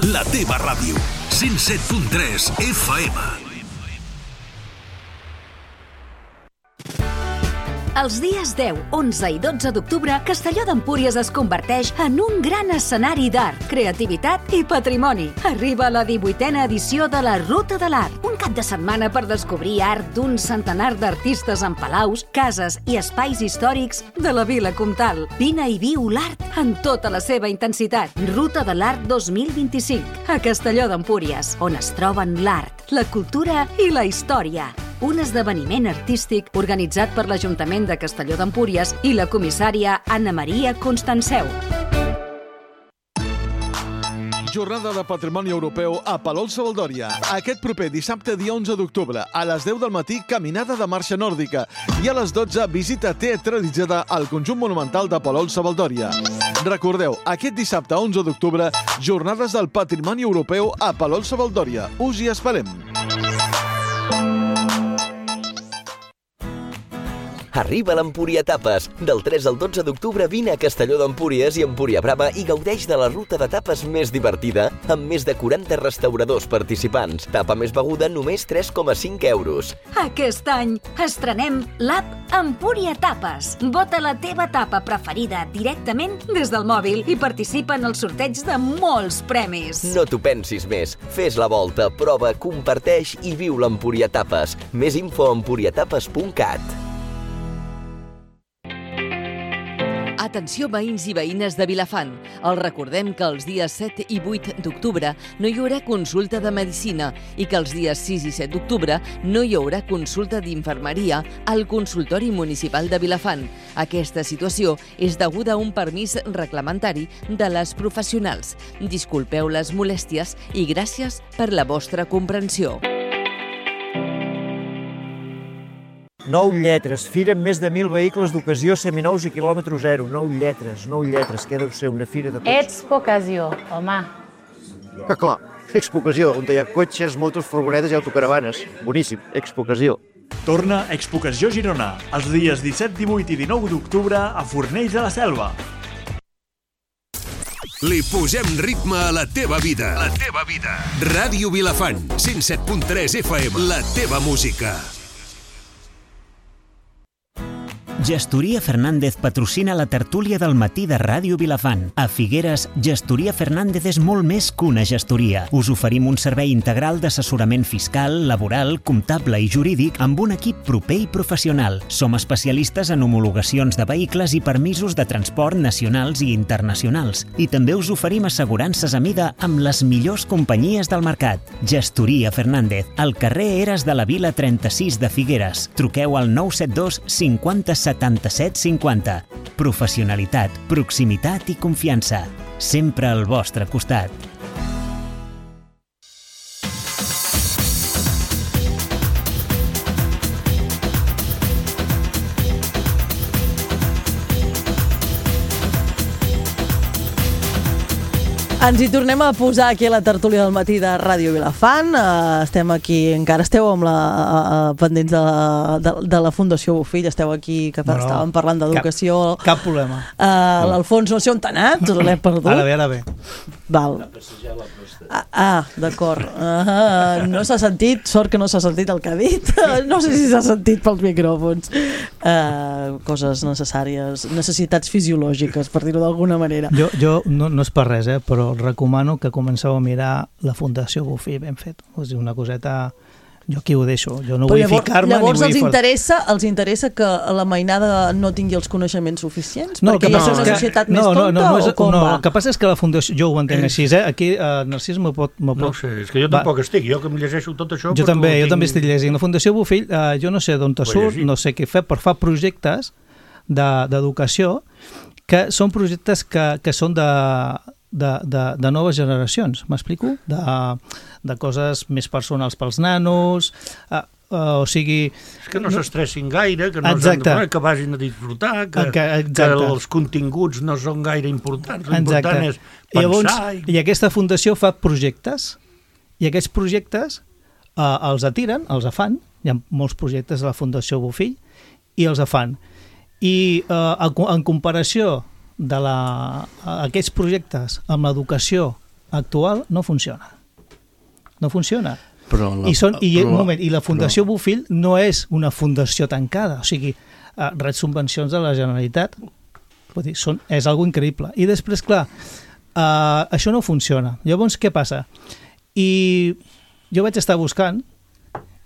La teva ràdio. 107.3 FM. Els dies 10, 11 i 12 d'octubre, Castelló d'Empúries es converteix en un gran escenari d'art, creativitat i patrimoni. Arriba la 18a edició de la Ruta de l'Art, un cap de setmana per descobrir art d'un centenar d'artistes en palaus, cases i espais històrics de la Vila Comtal. Vine i viu l'art en tota la seva intensitat. Ruta de l'Art 2025, a Castelló d'Empúries, on es troben l'art, la cultura i la història. Un esdeveniment artístic organitzat per l'Ajuntament de Castelló d'Empúries i la comissària Anna Maria Constanceu. Jornada de Patrimoni Europeu a Palol-Savaldòria. Aquest proper dissabte, dia 11 d'octubre, a les 10 del matí, caminada de marxa nòrdica. I a les 12, visita teatralitzada al conjunt monumental de Palol-Savaldòria. Recordeu, aquest dissabte, 11 d'octubre, Jornades del Patrimoni Europeu a Palol-Savaldòria. Us hi esperem. Arriba l'Empúria Tapes. Del 3 al 12 d'octubre vine a Castelló d'Empúries i Empúria Brava i gaudeix de la ruta de tapes més divertida amb més de 40 restauradors participants. Tapa més beguda, només 3,5 euros. Aquest any estrenem l'app Empúria Tapes. Vota la teva tapa preferida directament des del mòbil i participa en el sorteig de molts premis. No t'ho pensis més. Fes la volta, prova, comparteix i viu l'Empúria Tapes. Més info a empuriatapes.cat. Atenció veïns i veïnes de Vilafant. Els recordem que els dies 7 i 8 d'octubre no hi haurà consulta de medicina i que els dies 6 i 7 d'octubre no hi haurà consulta d'infermeria al consultori municipal de Vilafant. Aquesta situació és deguda a un permís reglamentari de les professionals. Disculpeu les molèsties i gràcies per la vostra comprensió. 9 lletres, fira amb més de 1.000 vehicles d'ocasió seminous i quilòmetre zero. 9 lletres, que deu ser una fira de cotxes. Expocasió, home. Que clar, Expocació, on hi ha cotxes, motos, furgonetes i autocaravanes. Boníssim, Expocasió. Torna Expocació Girona, els dies 17, 18 i 19 d'octubre a Fornells de la Selva. Li posem ritme a la teva vida. La teva vida. Ràdio Vilafant, 107.3 FM, la teva música. Gestoria Fernández patrocina la tertúlia del matí de Ràdio Vilafant. A Figueres, Gestoria Fernández és molt més que una gestoria. Us oferim un servei integral d'assessorament fiscal, laboral, comptable i jurídic amb un equip proper i professional. Som especialistes en homologacions de vehicles i permisos de transport nacionals i internacionals. I també us oferim assegurances a mida amb les millors companyies del mercat. Gestoria Fernández, al carrer Eres de la Vila 36 de Figueres. Truqueu al 972 50 77 50. Professionalitat, proximitat i confiança. Sempre al vostre costat. Ens hi tornem a posar aquí a la tertúlia del matí de Ràdio Vilafant. Estem aquí, encara esteu amb pendents de la Fundació Bofill, esteu aquí, que estàvem parlant d'educació. Cap problema. L'Alfons no sé on t'ha anat, l'he perdut. Ara bé. Val. D'acord. No s'ha sentit, sort que no s'ha sentit el que ha dit. No sé si s'ha sentit pels micròfons. Coses necessàries, necessitats fisiològiques, per dir-ho d'alguna manera. Jo no és per res, però recomano que comenceu a mirar la Fundació Bofill ben fet. És una coseta... Jo aquí ho deixo, jo no vull ficar-me ni vull... Llavors els interessa que la mainada no tingui els coneixements suficients? Perquè hi ha una societat més tonta o com va? El que passa és que la Fundació, jo ho entenc així, aquí Narcís m'ho pot... No sé, és que jo tampoc estic, jo que em llegeixo tot això... Jo també estic llegint. La Fundació Bofill, jo no sé d'on te surt, no sé què fer, però fa projectes d'educació que són projectes que són de noves generacions, m'explico? De coses més personals pels nanos, o sigui... És que no s'estressin gaire, que no que vagin a disfrutar, que els continguts no són gaire importants, l'important és pensar... I aquesta fundació fa projectes, i aquests projectes els atiren, els fan, hi ha molts projectes de la Fundació Bofill, i els fan. I en comparació d'aquests projectes amb l'educació actual no funciona. No funciona. I la Fundació Bofill no és una fundació tancada, o sigui, rep subvencions de la Generalitat, vull dir, és algo increïble. I després, clar, això no funciona. Llavors, què passa? I jo vaig estar buscant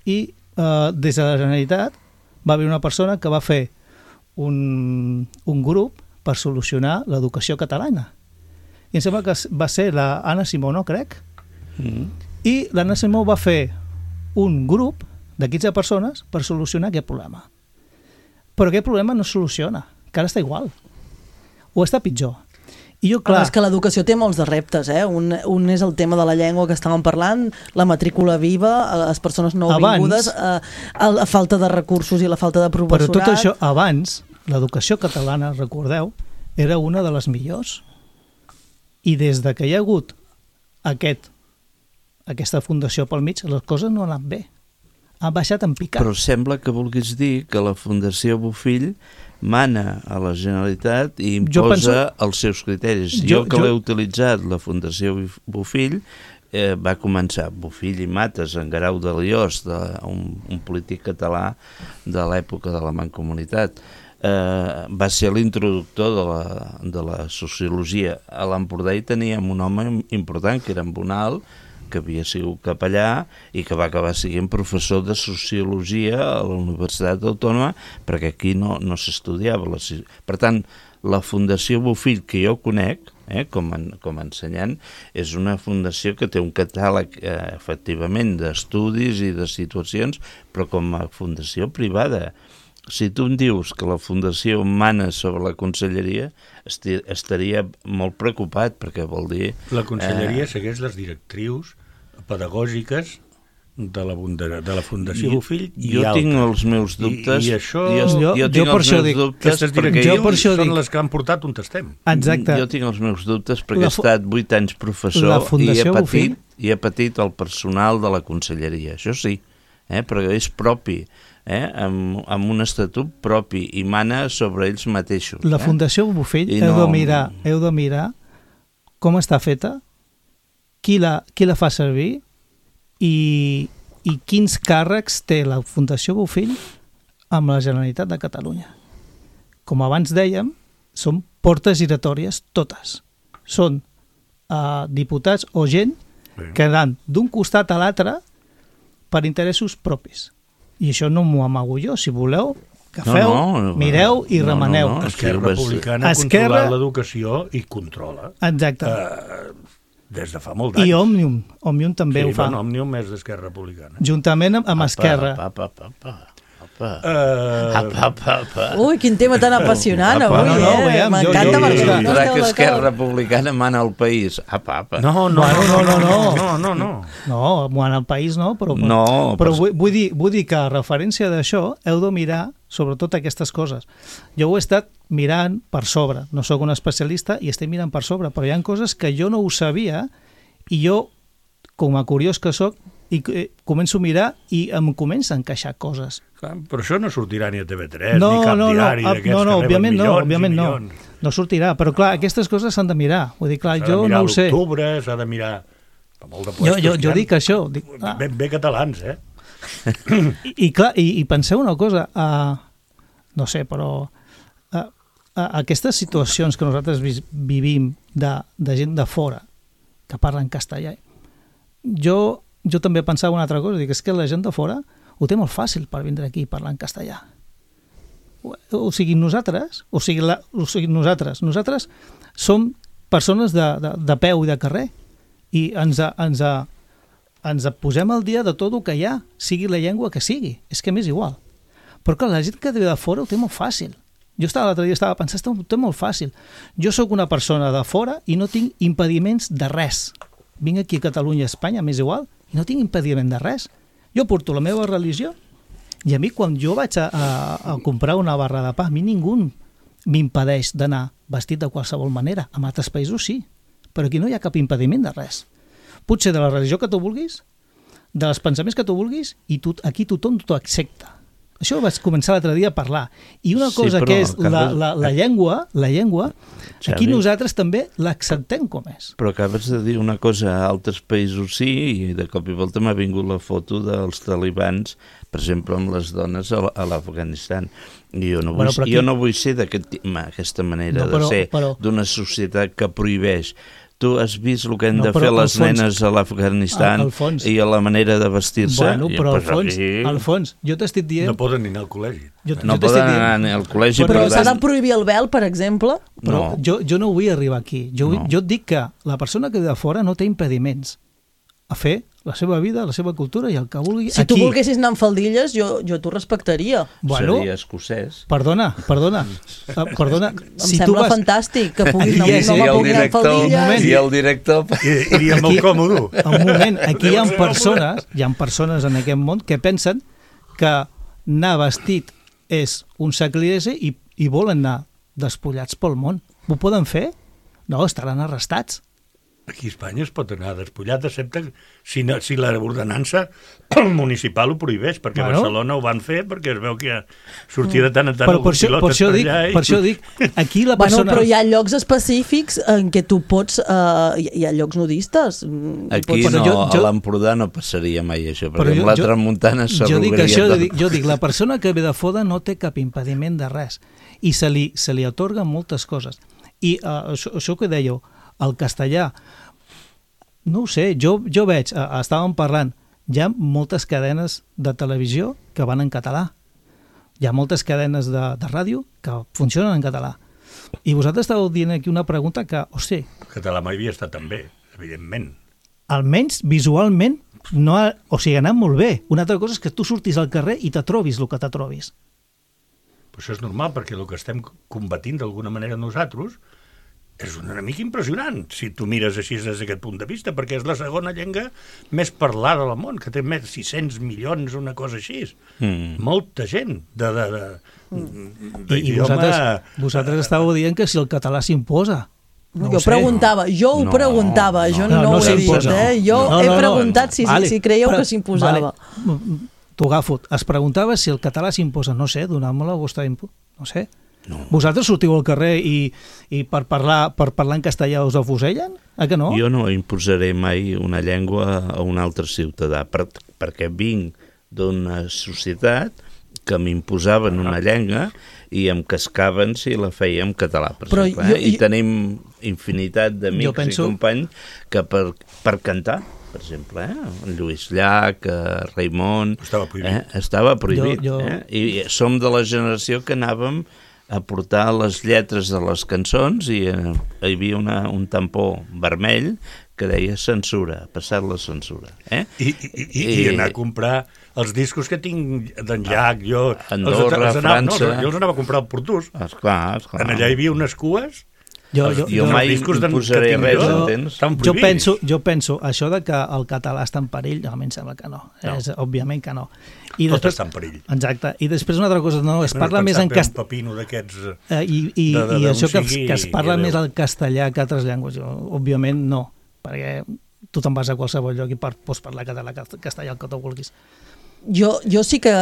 i des de la Generalitat va haver una persona que va fer un grup per solucionar l'educació catalana. I em sembla que va ser l'Anna Simó, no crec? I l'Anna Simó va fer un grup de 15 persones per solucionar aquest problema. Però aquest problema no es soluciona, que ara està igual. O està pitjor. I jo, clar... És que l'educació té molts de reptes, eh? Un és el tema de la llengua que estàvem parlant, la matrícula viva, les persones nouvingudes, la falta de recursos i la falta de professorat... Però tot això, abans, l'educació catalana, recordeu, era una de les millors. I des de que hi ha hagut aquesta fundació pel mig, les coses no han anat bé. Han baixat en picat. Però sembla que vulguis dir que la Fundació Bofill mana a la Generalitat i imposa els seus criteris. Jo que l'he utilitzat, la Fundació Bofill, va començar Bofill i Mates en Guerau de Liós, un polític català de l'època de la Mancomunitat. Va ser l'introductor de la sociologia. A l'Empordà hi teníem un home important, que era en Bonal, que havia sigut capellà i que va acabar sent professor de sociologia a la Universitat Autònoma, perquè aquí no s'estudiava. Per tant, la Fundació Bofill, que jo conec, com a ensenyant, és una fundació que té un catàleg, efectivament, d'estudis i de situacions, però com a fundació privada. Si tu em dius que la fundació mana sobre la conselleria, estaria molt preocupat, perquè vol dir... La conselleria segueix les directrius pedagògiques de la Fundació Bofill i jo tinc els meus dubtes. I això... Jo per això dic... Aquestes directrius són les que han portat on estem. Exacte. Jo tinc els meus dubtes perquè he estat 8 anys professor i he patit el personal de la conselleria. Això sí, però és propi, amb un estatut propi i mana sobre ells mateixos. La Fundació Bofill heu de mirar com està feta, qui la fa servir i quins càrrecs té la Fundació Bofill amb la Generalitat de Catalunya. Com abans dèiem, són portes giratòries totes. Són diputats o gent que van d'un costat a l'altre per interessos propis. I això no m'ho amago jo. Si voleu, agafeu, mireu i remeneu. Esquerra Republicana controla l'educació i controla. Exacte. Des de fa molt d'anys. I Òmnium també ho fa. Sí, Òmnium és d'Esquerra Republicana. Juntament amb Esquerra. Ui, quin tema tan apassionant avui, m'encanta perquè no esteu que Esquerra Republicana mana el país. No, mana el país no, però vull dir que a referència d'això heu de mirar sobretot aquestes coses. Jo ho he estat mirant per sobre, no sóc un especialista i estic mirant per sobre, però hi ha coses que jo no ho sabia i jo, com a curiós que sóc, començo a mirar i em comença a encaixar coses. Però això no sortirà ni a TV3, ni cap diari d'aquests que reben milions i milions. No sortirà, però clar, aquestes coses s'han de mirar. Vull dir, clar, jo no ho sé. S'ha de mirar l'octubre, s'ha de mirar... Jo dic això. Ben bé catalans, I penseu una cosa, no sé, però aquestes situacions que nosaltres vivim de gent de fora que parla en castellà, jo també pensava una altra cosa, dic, és que la gent de fora ho té molt fàcil per vindre aquí i parlar en castellà. O sigui, nosaltres som persones de peu i de carrer i ens posem al dia de tot el que hi ha, sigui la llengua que sigui, és que m'és igual. Però clar, la gent que ve de fora ho té molt fàcil. Jo l'altre dia estava pensant, és molt fàcil. Jo sóc una persona de fora i no tinc impediments de res. Vinc aquí a Catalunya, a Espanya, m'és igual, i no tinc impediment de res. Jo porto la meva religió i a mi quan jo vaig a comprar una barra de pa, a mi ningú m'impedeix d'anar vestit de qualsevol manera. En altres països sí, però aquí no hi ha cap impediment de res. Potser de la religió que tu vulguis, dels pensaments que tu vulguis, i aquí tothom t'ho accepta. Això ho vaig començar l'altre dia a parlar. I una cosa que és la llengua, aquí nosaltres també l'acceptem com és. Però acabes de dir una cosa, a altres països sí, i de cop i volta m'ha vingut la foto dels talibans, per exemple, amb les dones a l'Afganistan. I jo no vull ser d'aquesta manera de ser, d'una societat que prohibeix. Tu has vist el que han de fer les nenes a l'Afganistan i a la manera de vestir-se? Bueno, però al fons, jo t'estic dient... No poden anar al col·legi. No poden anar al col·legi. Però s'ha de prohibir el vel, per exemple? Però jo no vull arribar aquí. Jo et dic que la persona que ve de fora no té impediments a fer la seva vida, la seva cultura i el que vulgui aquí. Si tu volguessis anar amb faldilles, jo t'ho respectaria. Seria escocès. Perdona. Em sembla fantàstic que puguis anar amb faldilles. I el director... Iria molt còmode. Un moment, aquí hi ha persones en aquest món que pensen que anar vestit és un sacrilegi i volen anar despullats pel món. Ho poden fer? No, estaran arrestats. Aquí a Espanya es pot anar despullat, excepte si l'ordenança municipal ho prohibeix, perquè a Barcelona ho van fer, perquè es veu que sortia de tant en tant algun pilot per allà. Per això dic, aquí la persona... Però hi ha llocs específics en què tu pots... Hi ha llocs nudistes. Aquí a l'Empordà no passaria mai això, perquè amb la tramuntana s'arrugaria tot. Jo dic, la persona que ve de fora no té cap impediment de res, i se li atorguen moltes coses. I això que dèieu, el castellà, no ho sé, jo veig, estàvem parlant, hi ha moltes cadenes de televisió que van en català, hi ha moltes cadenes de ràdio que funcionen en català, i vosaltres estàveu dient aquí una pregunta que, hosti... El català mai havia estat tan bé, evidentment. Almenys visualment, ha anat molt bé. Una altra cosa és que tu surtis al carrer i te trobis el que te trobis. Però això és normal, perquè el que estem combatint d'alguna manera nosaltres és una mica impressionant, si tu mires així des d'aquest punt de vista, perquè és la segona llengua més parlada del món, que té més de 600 milions, una cosa així. Molta gent I vosaltres estàveu dient que si el català s'imposa. Jo ho preguntava, jo no ho he dit, jo he preguntat si creieu que s'imposava. T'ho agafo, es preguntava si el català s'imposa, no sé, donant-me la vostra no sé. Vosaltres sortiu al carrer i per parlar en castellà us afusellen? Que no? Jo no imposaré mai una llengua a un altre ciutadà, perquè vinc d'una societat que m'imposaven una llengua i em cascaven si la feia en català, per exemple. I tenim infinitat d'amics i companys que per cantar, per exemple, en Lluís Llach, Raimon... Estava prohibit. I som de la generació que anàvem a portar les lletres de les cançons i hi havia un tampó vermell que deia censura, passat la censura. I anar a comprar els discos que tinc d'en Llach, jo... Andorra, França... Jo els anava a comprar al Portús. Esclar. Allà hi havia unes cues... Jo mai imposaré res, entens? Jo penso, això de que el català està en perill, a mi em sembla que no. Òbviament que no. Tot està en perill. Exacte. I després una altra cosa, es parla més en castellà. Un pepino d'aquests... I això que es parla més el castellà que altres llengües, òbviament no, perquè tu te'n vas a qualsevol lloc i pots parlar català, castellà, el que tu vulguis. Jo sí que...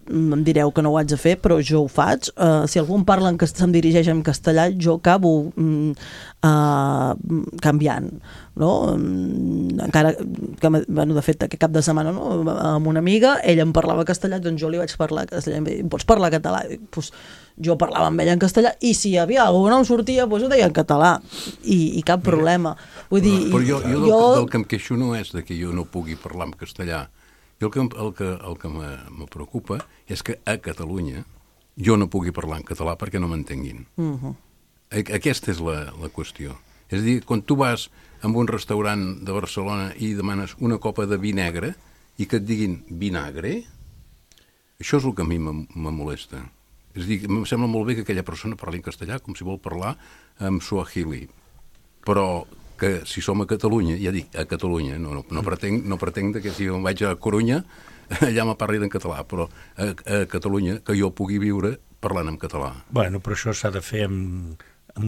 em direu que no ho haig de fer, però jo ho faig. Si algú em parla que se'm dirigeix en castellà, jo acabo canviant, no? Encara que, de fet, aquest cap de setmana, no? Amb una amiga, ella em parlava castellà, doncs jo li vaig parlar castellà. Em pots parlar català? Pues jo parlava amb ella en castellà i si hi havia alguna que no em sortia, doncs ho deia en català i cap problema. Vull dir, però jo del que em queixo no és de que jo no pugui parlar en castellà. El que me preocupa és que a Catalunya jo no pugui parlar en català perquè no m'entenguin. Aquesta és la qüestió. És a dir, quan tu vas a un restaurant de Barcelona i demanes una copa de vi negre i que et diguin vinagre, això és el que a mi me molesta. És a dir, em sembla molt bé que aquella persona parli en castellà com si vol parlar en suahili, però que si som a Catalunya, ja dic, a Catalunya, no pretenc que si em vaig a Corunya allà me parli en català, però a Catalunya que jo pugui viure parlant en català. Bueno, però això s'ha de fer amb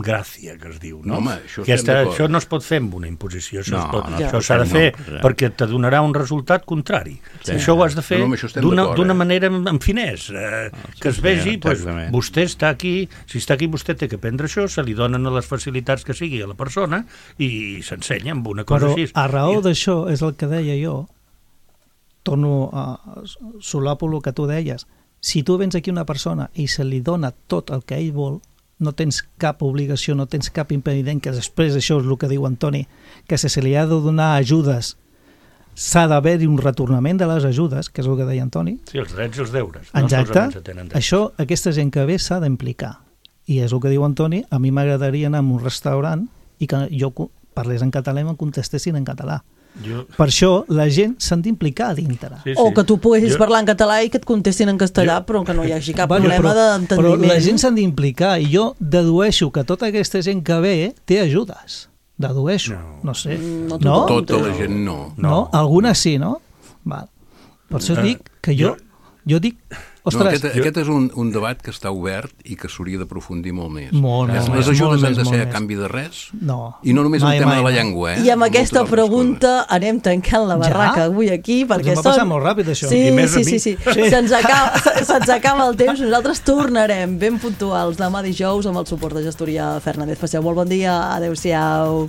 gràcia, que es diu, no? Home, això no es pot fer amb una imposició, això s'ha de fer perquè te donarà un resultat contrari. Això ho has de fer d'una manera amb finès, que es vegi, vostè està aquí, si està aquí vostè té que aprendre això, se li donen les facilitats que sigui a la persona i s'ensenya amb una cosa així. Però a raó d'això és el que deia jo, torno a solapar el que tu deies, si tu vens aquí una persona i se li dona tot el que ell vol, no tens cap obligació, no tens cap impediment, que després això és el que diu Antoni, que si se li ha de donar ajudes s'ha d'haver-hi un retornament de les ajudes, que és el que deia Antoni. Sí, els drets i els deures. Exacte. Això, aquesta gent que ve s'ha d'implicar. I és el que diu Antoni, a mi m'agradaria anar a un restaurant i que jo parlés en català i em contestessin en català. Per això la gent s'han d'implicar a dintre. O que tu puguis parlar en català i que et contestin en castellà, però que no hi hagi cap problema d'entendiment. Però la gent s'han d'implicar i jo dedueixo que tota aquesta gent que ve té ajudes. Dedueixo, no sé. No? Tota la gent no. No? Algunes sí, no? Val. Per això dic que jo dic... Ostres, aquest és un debat que està obert i que s'hauria d'aprofundir molt més. Les ajudes han de ser a canvi de res? No. I no només el tema de la llengua, I amb aquesta pregunta anem tancant la barraca avui aquí, perquè m'ha passat molt ràpid, això. Sí. Se'ns acaba el temps. Nosaltres tornarem ben puntuals demà dijous amb el suport de Gestoria Fernández. Passeu molt bon dia. Adéu-siau.